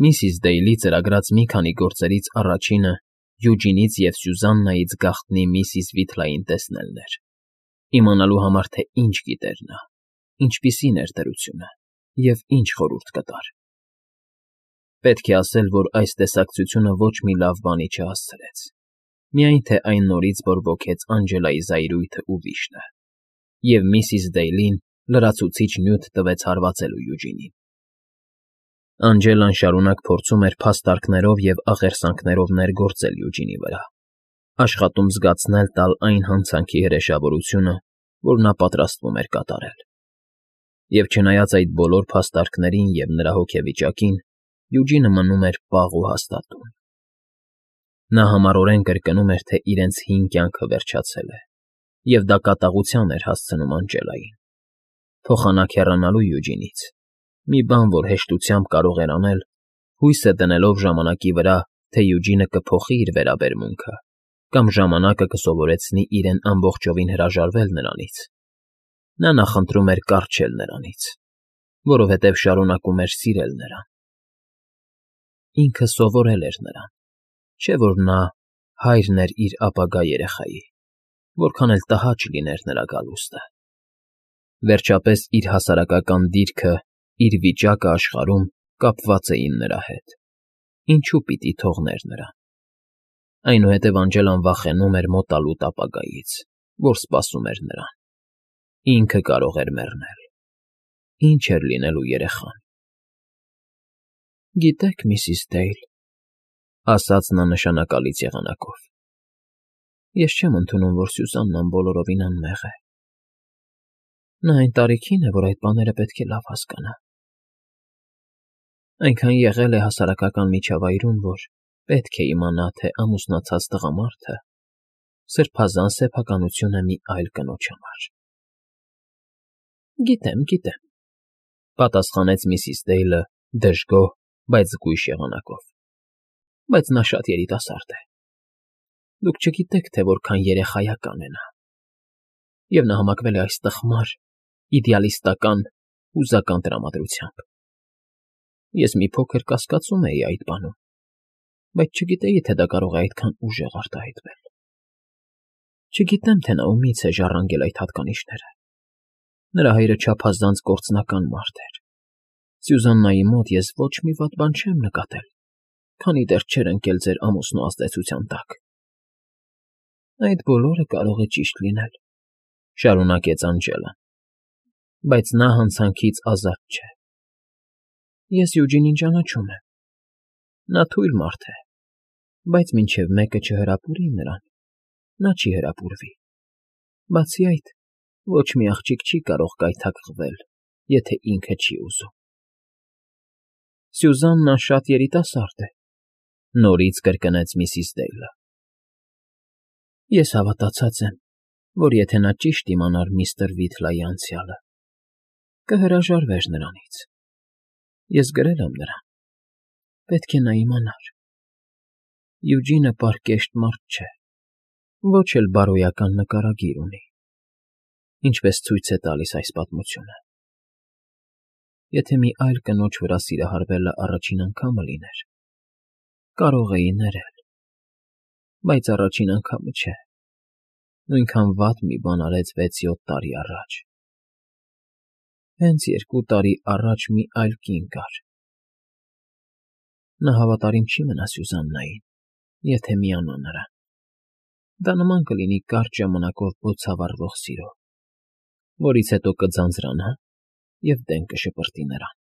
Միսիս Դեյլի ծրագրած մի քանի գործերից առաջինը Յուջինից և Սյուզաննայից գաղտնի միսիս Վիթլային տեսնելն էր, իմանալու համար, թե ինչ գիտեր նա, ինչպիսին էր դրությունը և ինչ խորհուրդ կտար։ Պետք է ասել, որ այս տեսակցությունը ոչ մի լավ բանի չհասցրեց, միայն թե այն նորից բորբոքեց Անգելայի զայրույթն ու վիշտը, և միսիս Դեյլին լրացուցիչ նյութ տվեց հարվածելու Յուջինին։ Անգելան շարունակ փորձում էր փաստարկներով և աղերսանքներով ներգործել Յուջինի վրա, աշխատում զգացնել տալ այն հանցանքի հրեշավորությունը, որ նա պատրաստվում էր կատարել։ Եվ չնայած այդ բոլոր փաստարկներին և նրա հոգեվիճակին, Յուջինը մնում էր պաղ ու հաստատուն։ Նա համառորեն կրկնում էր, թե իրենց հին կյանքը վերջացել է, և դա կատաղության էր հասցնում Անգելային։ Փոխանակ հեռանալու Յուջինից, մի բան, որ հեշտությամբ կարող էր անել, հույսը դնելով ժամանակի վրա, թե Յուջինը կփոխի իր վերաբերմունքը կամ ժամանակը կսովորեցնի իրեն ամբողջովին հրաժարվել նրանից, նա նախընտրում էր կառչել նրանից, որովհետև շարունակում էր սիրել նրան։ Ինքը սովորել էր նրան, չէ՞ որ նա հայրն էր իր ապագա երեխայի, որքան էլ տհաճ լիներ նրա գալուստը։ Վերջապես իր հասարակական դիրքը, իր վիճակը աշխարհում կապված էին նրա հետ, ինչու պիտի թողներ նրան։ Այնուհետև Անգելան վախենում էր մոտալուտ ապագայից, որ սպասում էր նրան։ Ինքը կարող էր մեռնել։ Ինչ էր լինելու երեխան։ Գիտեք, միսիս Դեյլ, ասաց նա նշանակալից եղանակով, ես չեմ ընդունում, որ Սյուզաննան բոլորովին անմեղ է։ Նա այն տարիքին է, որ այդ բաները պետք է լավ հասկանա։ Այնքան եղել է հասարակական միջավայրում, որ պետք է իմանա, թե ամուսնացած տղամարդը սրբազան սեփականություն է մի այլ կնոջ համար։ Գիտեմ, պատասխանեց միսիս Դեյլը դժգոհ, բայց զգույշ եղանակով, բայց նա շատ երիտասարդ է։ Դուք չգիտեք, թե որքան երեխայական է նա։ Եվ նա համակվել է այս տխմար, իդեալիստական, հուզական տրամադրությամբ։ Ես մի փոքր կասկածում էի այդ բանում, բայց չգիտեի, թե դա կարող է այդքան ուժեղ արտահայտվել։ Չգիտեմ, թե նա ումից է ժառանգել այդ հատկանիշները։ Նրա հայրը չափազանց կործնական մարդ էր։ Սյուզաննայի մոտ ես ոչ մի վատ բան չեմ նկատել, քանի դեռ չէր ընկել ձեր ամուսնու ազդեցության տակ։ Այդ բոլորը կարող է ճիշտ լինել, շարունակեց Անգելան, բայց նա հանցանքից ազատ չէ։ Ես Յուջինին ճանաչում եմ։ Նա թույլ մարդ է, բայց մինչև մեկը չհրապուրի նրան, նա չի հրապուրվի։ Բացի այդ, ոչ մի աղջիկ չի կարող կայթակղվել, եթե ինքը չի ուզում։ Սյուզաննան շատ երիտասարդ է, նորից կրկնեց միսիս Դեյլը։ Ես հավատացած եմ, որ եթե նա ճիշտ իմանար միստր Վիթլայի անցյալը, կհրաժարվեր նրանից։ Ես գրել եմ նրան։ Պետք է նա իմանար։ Յուջինը պարկեշտ մարդ չէ, ոչ էլ բարոյական նկարագիր ունի, ինչպես ցույց է տալիս այս պատմությունը։ Եթե մի այլ կնոջ վրա սիրահարվելը առաջին անգամը լիներ, կարող էի ներել, բայց առաջին անգամը չէ, նույնքան վատ մի բան արեց 6-7 տարի առաջ։ Հենց 2 տարի առաջ մի այլ կին կար։ Նա հավատարիմ չի մնա Սյուզաննային, եթե միանա նրան։ Դա նման կլինի կարճ ժամանակով բոցավառվող սիրո, որից հետո կձանձրանա և դեն կշպրտի նրան։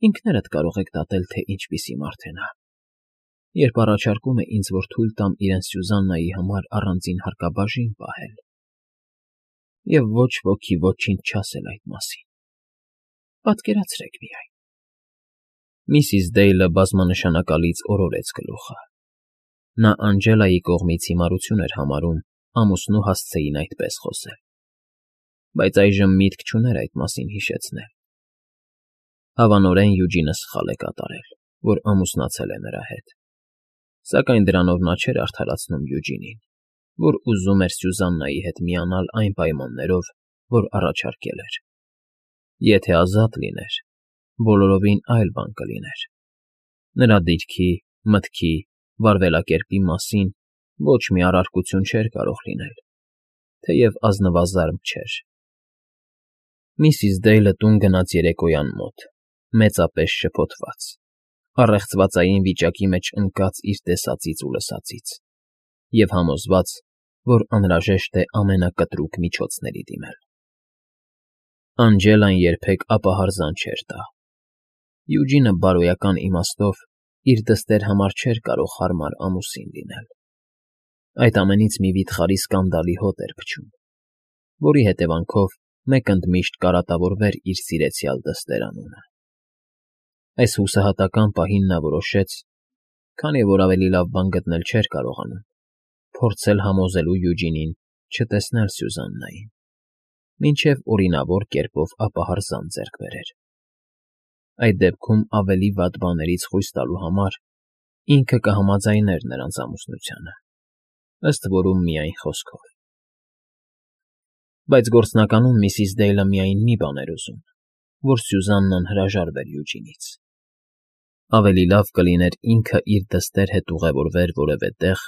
Ինքներդ կարող եք դատել, թե ինչպիսի մարդ է նա, երբ առաջարկում է ինձ, որ թույլ տամ իրեն Սյուզաննայի համար առանձին հարկաբաժին պահել, և ոչ ոքի ոչինչ չասել այդ մասին։ Պատկերացրեք միայն։ Միսիս Դեյլը բազմանշանակալից օրորեց գլուխը։ Նա Անգելայի կողմից հիմարություն էր համարում ամուսնու հասցեին այդպես խոսել, բայց այժմ միտք չուներ այդ մասին հիշեցնել։ Հավանորեն Յուջինը սխալ է կատարել, որ ամուսնացել է նրա հետ, սակայն դրանով նա չէր արդարացնում Յուջինին, որ ուզում էր Սյուզաննայի հետ միանալ այն պայմաններով, որ առաջարկել էր։ Եթե ազատ լիներ, բոլորովին այլ բան կլիներ, Նրա դիրքի, մտքի, վարվելակերպի մասին ոչ մի առարկություն չէր կարող լինել, թեև ազնվազարդ չէր։ Միսիս Դեյլը տուն գնաց երեկոյան մոտ, մեծապես շփոթված, առեղծվածային վիճակի մեջ ընկած իր տեսածից ու լսածից, և համոզված, որ անհրաժեշտ է ամենակտրուկ միջոցների դիմել։ Անջելան երբեք ապահարզան չէր տա։ Յուջինը բարոյական իմաստով իր դստեր համար չէր կարող հարմար ամուսին լինել։ Այդ ամենից մի վիթխարի սկանդալի հոտ էր փչում, որի հետևանքով մեկ ընդմիշտ կարատավորվեր իր սիրեցյալ դստերանունը։ Այս հուսահատական պահին նա որոշեց, քանի որ ավելի լավ բան գտնել չէր կարողանում, փորձել համոզելու Յուջինին չտեսնել Սյուզաննային, մինչև օրինավոր կերպով ապահարզան ձեռք բերեր։ Այդ դեպքում ավելի վատ բաներից խույս տալու համար ինքը կհամաձայներ նրանց ամուսնությանը, ըստ որում միայն խոսքով։ Բայց գործնականում միսիս Դեյլը միայն մի բան էր ուզում, որ Սյուզաննան հրաժարվեր Յուջինից։ Ավելի լավ կլիներ ինքը իր դստեր հետ ուղևորվեր որևէ տեղ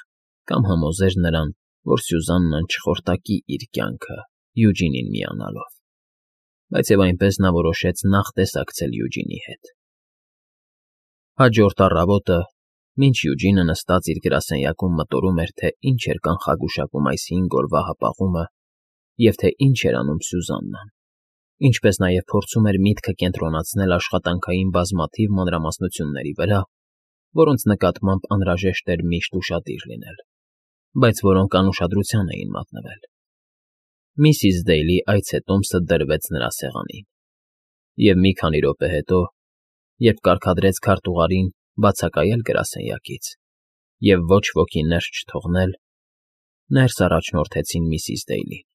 կամ համոզեր նրան, որ Սյուզաննան չխորտակի իր կյանքը Յուջինին միանալով, բայց և այնպես նա որոշեց նախ տեսակցել Յուջինի հետ։ Հաջորդ առավոտը, մինչ Յուջինը նստած իր գրասենյակում մտորում էր, թե ինչ էր կանխագուշակում այս 5 օրվա հապաղումը և թե ինչ էր անում Սյուզաննան, ինչպես նաև փորձում էր միտքը կենտրոնացնել աշխատանքային բազմաթիվ մանրամասնությունների վրա, որոնց նկատմամբ անհրաժեշտ էր միշտ ուշադիր լինել, բայց որոնք անուշադրության էին մատնվել։ Միսիս Դեյլի այցետոմսը դրվեց նրա սեղանին, և մի քանի րոպե հետո, երբ կարգադրեց քարտուղարին բացակայել գրասենյակից և ոչ ոքի ներս չթողնել, ներս առաջնորդեցին միսիս Դեյլին։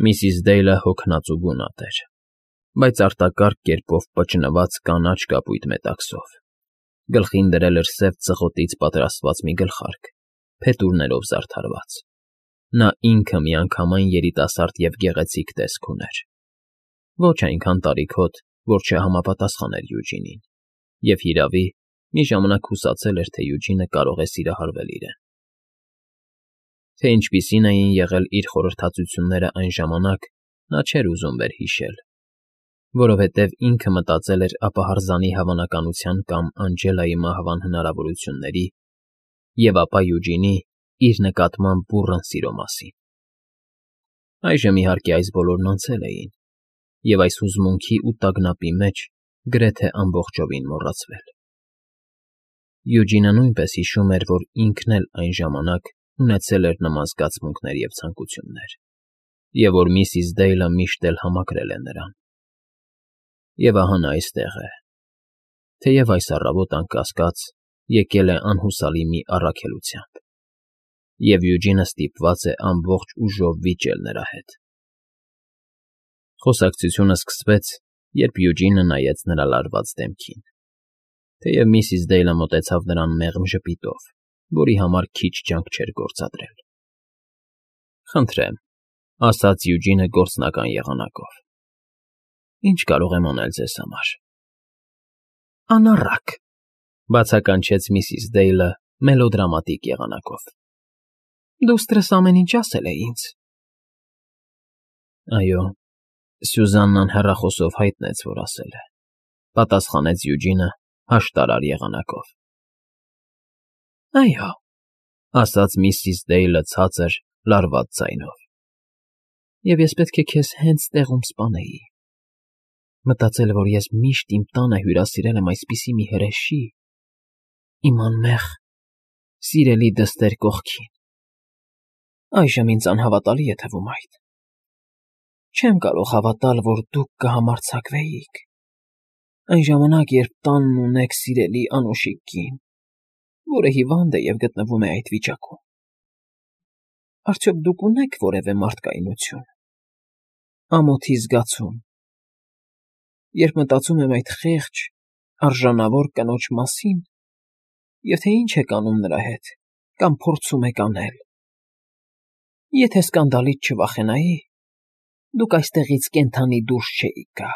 Միսիս Դեյլը հոգնած ու գունատ էր, բայց արտակարգ կերպով պճնված կանաչ կապույտ մետաքսով, գլխին դրել էր սև ծղոտից պատրաստված մի գլխարկ, փետուրներով զարդարված։ Նա ինքը միանգամայն երիտասարդ և գեղեցիկ տեսք ուներ, ոչ այնքան տարիքոտ, որ չհամապատասխաներ Յուջինին, և հիրավի, մի ժամանակ հուսացել էր, թե Յուջինը կարող է սիրահարվել իրեն։ Թե ինչպիսին էին եղել իր խորհրդածությունները այն ժամանակ, նա չէր ուզում վերհիշել, որովհետև ինքը մտածել էր ապահարզանի հավանականության կամ Անջելայի մահվան հնարավորությունների և ապա Յուջինի իր նկատմամբ բուռն սիրո մասին։ Այժմ, իհարկե, այս բոլորն անցել էին, և այս հուզմունքի ու տագնապի մեջ գրեթե ամբողջովին մոռացվել։ Յուջինը նույնպես հիշում էր, որ ինքն էլ այն ժամանակ ունեցել էր նման զգացմունքներ և ցանկություններ, և որ միսիս Դեյլը միշտ էլ համակրել է նրան։ Եվ ահա նա այստեղ է, թեև այս առավոտ, անկասկած, եկել է անհուսալի մի առաքելությամբ, և Յուջինը ստիպված է ամբողջ ուժով վիճել նրա հետ։ Խոսակցությունը սկսվեց, երբ Յուջինը նայեց նրա լարված դեմքին, թեև միսիս Դեյլը մոտեցավ նրան մեղմ ժպիտով, որի համար քիչ ջանք չէր գործադրել։ ֊ Խնդրեմ, ֊ ասաց Յուջինը գործնական եղանակով, ֊ ինչ կարող եմ անել ձեզ համար։ ֊ Անառակ, ֊ բացականչեց միսիս Դեյլը մելոդրամատիկ եղանակով։ ֊ Դուստրս ամեն ինչ ասել է ինձ։ ֊ Այո, Սյուզաննան հեռախոսով հայտնեց, որ ասել է, ֊ պատասխանեց Յուջինը հաշտարար եղանակով։ ֊ Այո, ֊ ասաց միսիս Դեյլը ցածր, լարված ձայնով, ֊ և ես պետք է քեզ հենց տեղում սպանեի։ Մտածել, որ ես միշտ իմ տանը հյուրասիրել եմ այսպիսի մի հրեշի, իմ անմեղ, սիրելի դստեր կողքին։ Այժմ ինձ անհավատալի է թվում այդ։ Չեմ կարող հավատալ, որ դուք կհամարձակվեիք, այն ժամանակ, երբ տանն ունեք սիրելի անուշիկ կին, որը հիվանդ է և գտնվում է այդ վիճակում։ Արդյոք դուք ունե՞ք որևէ մարդկայնություն, ամոթի զգացում, երբ մտածում եմ այդ խեղճ, արժանավոր կնոջ մասին, և թե ինչ եք անում նրա հետ կամ փորձում եք անել։ Եթե սկանդալից չվախենայի, դուք այստեղից կենդանի դուրս չէիք գա։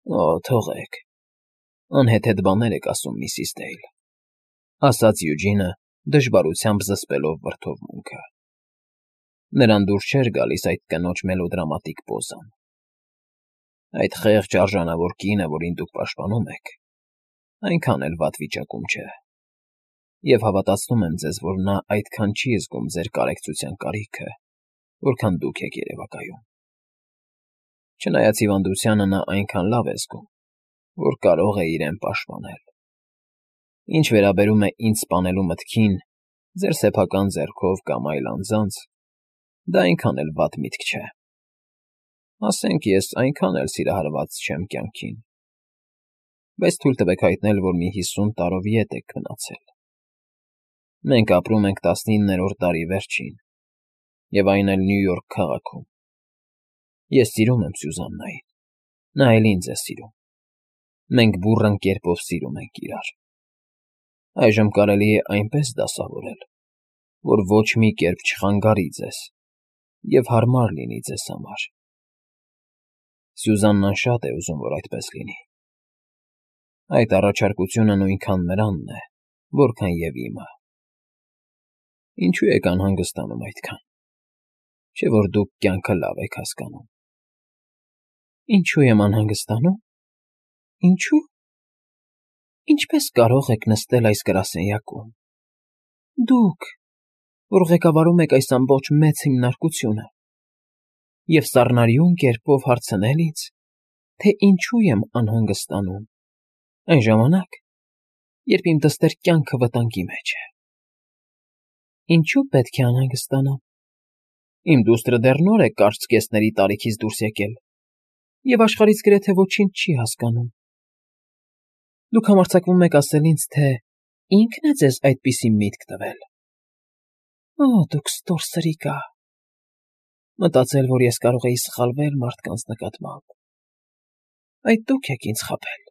Օ, թողեք, Անհեթեթ բաներ եք ասում, Միսիս Դեյլ, ասաց Յուջինը, դժվարությամբ զսպելով վրդովմունքը. նրան դուր չէր գալիս այդ կնոջ մելոդրամատիկ պոզան. այդ խեղճ արժանավոր կինը, որին դուք պաշտպանում եք, այնքան էլ վատ վիճակում չէ, և հավատացնում եմ ձեզ, որ նա այդքան չի զգում ձեր կարեկցության կարիքը, որքան դուք եք երևակայում. չնայած հիվանդությանը նա այնքան լավ է զգում, որ կարող է իրեն պաշտպանել. ինչ վերաբերում է ինձ սպանելու մտքին, ձեր սեփական ձեռքով կամ այլ անձանց, դա այնքան էլ վատ միտք չէ. ասենք ես այնքան էլ սիրահարված չեմ կյանքին, բայց թույլ տվեք հայտնել, որ մի 50 տարով ետ եք մնացել. մենք ապրում ենք 19-րդ դարի վերջին, և այն էլ Նյու Յորք քաղաքում. ես սիրում եմ Սյուզաննային, նա էլ ինձ է սիրում, մենք բուռն կերպով սիրում ենք իրար. այժմ կարելի է այնպես դասավորել, որ ոչ մի կերպ չխանգարի ձեզ և հարմար լինի ձեզ համար. Սյուզաննան շատ է ուզում, որ այդպես լինի. այդ առաջարկությունը նույնքան նրանն է, որքան և իմը. ինչու եք անհանգստանում այդքան, չէ՞ որ դուք կյանքը լավ եք հասկանում. ինչու եմ անհանգստանում, ինչու՞, ինչպե՞ս կարող եք նստել այս գրասենյակում, դուք, որ ղեկավարում եք այս ամբողջ մեծ հիմնարկությունը, և սառնարյուն կերպով հարցնել ինձ, թե ինչու եմ անհանգստանում, այն ժամանակ, երբ իմ դստեր կյանքը վտանգի մեջ է. ինչու պետք է անհանգստանամ, իմ դուստրը դեռ նոր է կարճ կեսների տարիքից դուրս եկել և աշխարհից գրեթե ոչինչ չի հասկանում. դուք համարձակվում եք ասել ինձ, թե ինքն է ձեզ այդպիսի միտք տվել. օ, դուք ստոր սրիկա, մտածել, որ ես կարող էի սխալվել մարդկանց նկատմամբ. այդ դուք եք ինձ խաբել,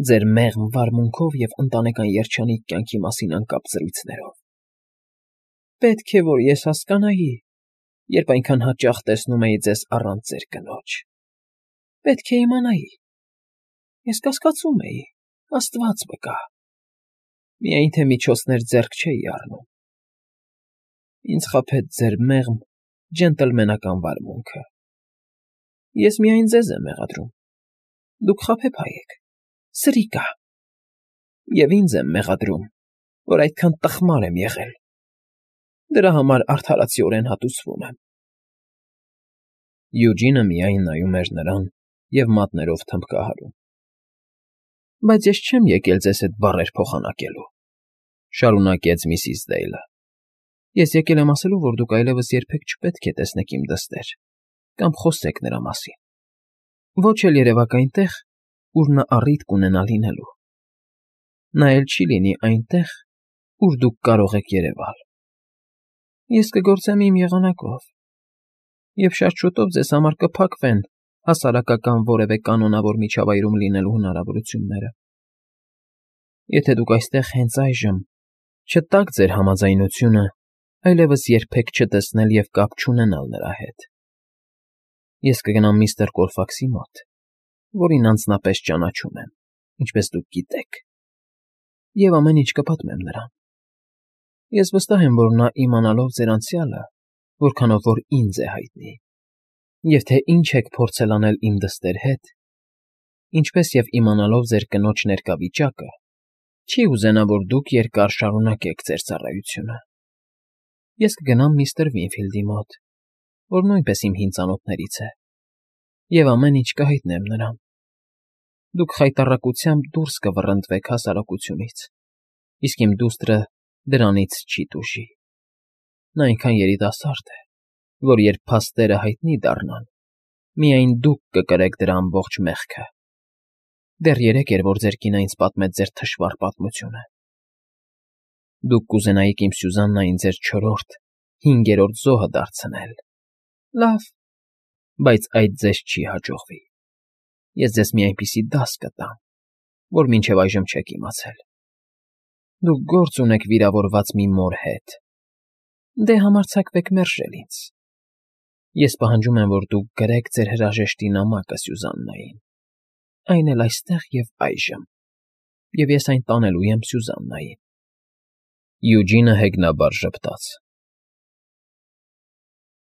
ձեր մեղմ վարմունքով և ընտանեկան երջանիկ կյանքի մասին անկապ զրույցներով. պետք է, որ ես հասկանայի, երբ այնքան հաճախ տեսնում էի ձեզ առանց ձեր կնոջ. պետք է իմանայի, ես կասկածում էի, Աստված վկա, միայն թե միջոցներ ձեռք չէի առնում. ինձ խաբեց ձեր մեղմ, ջենտլմենական վարմունքը. ես միայն ձեզ եմ մեղադրում, դուք խաբեբայ եք, սրիկա, և ինձ եմ մեղադրում, որ այդքան տխմար եմ եղել. դրա համար արդարացիորեն հատուցվում եմ. Յուջինը միայն նայում էր նրան և մատներով թմբկահարում. բայց ես չեմ եկել ձեզ հետ բառեր փոխանակելու, շարունակեց Միսիս Դեյլը. ես եկել եմ ասելու, որ դուք այլևս երբեք չպետք է տեսնեք իմ դստեր կամ խոսեք նրա մասին, ոչ էլ երևաք այնտեղ, ուր նա առիթ կունենա լինելու. նա էլ չի լինի այնտեղ, ուր դուք կարող եք երևալ. ես կգործեմ իմ եղանակով, և շատ շուտով ձեզ համար կփակվեն հասարակական որևէ կանոնավոր միջավայրում լինելու հնարավորությունները. եթե դուք այստեղ հենց այժմ չտաք ձեր համաձայնությունը այլևս երբեք չտեսնել և կապ չունենալ նրա հետ, ես կգնամ միստր Կոլֆաքսի մոտ, որին անձնապես ճանաչում եմ, ինչպես դուք գիտեք, և ամեն ինչ կպատմեմ նրան. ես վստահ եմ, որ նա իմանալով ձեր անցյալը, որքանով որ ինձ է հայտնի, և թե ինչ եք փորձել անել իմ դստեր հետ, ինչպես և իմանալով ձեր կնոջ ներկա վիճակը, չի ուզենա, որ դուք երկար շարունակեք ձեր ծառայությունը. ես կգնամ միստր Վինֆիլդի մոտ, որ նույնպես իմ հին ծանոթներից է, և ամեն ինչ կհայտնեմ նրան. դուք խայտառակությամբ դուրս կվռնդվեք հասարակությունից, իսկ իմ դուստրը դրանից չի տուժի. նա այնքան երիտասարդ է, որ երբ փաստերը հայտնի դառնան, միայն դուք կկրեք դրա ամբողջ մեղքը. դեռ երեկ էր, որ ձեր կինը ինձ պատմեց ձեր թշվառ պատմությունը. դուք կուզենայիք իմ Սյուզաննային ձեր չորրորդ, հինգերորդ զոհը դարձնել. լավ, բայց այդ ձեզ չի հաջողվի. ես ձեզ մի այնպիսի դաս կտամ, որ մինչև այժմ չեք իմացել. դուք գործ ունեք վիրավորված մի մոր հետ. դե համարձակվեք մերժել ինձ. ես պահանջում եմ, որ դուք գրեք ձեր հրաժեշտի նամակը Սյուզաննային, այն էլ այստեղ և այժմ։ և ես այն տանելու եմ Սյուզաննային։ Յուջինը հեգնաբար ժպտաց։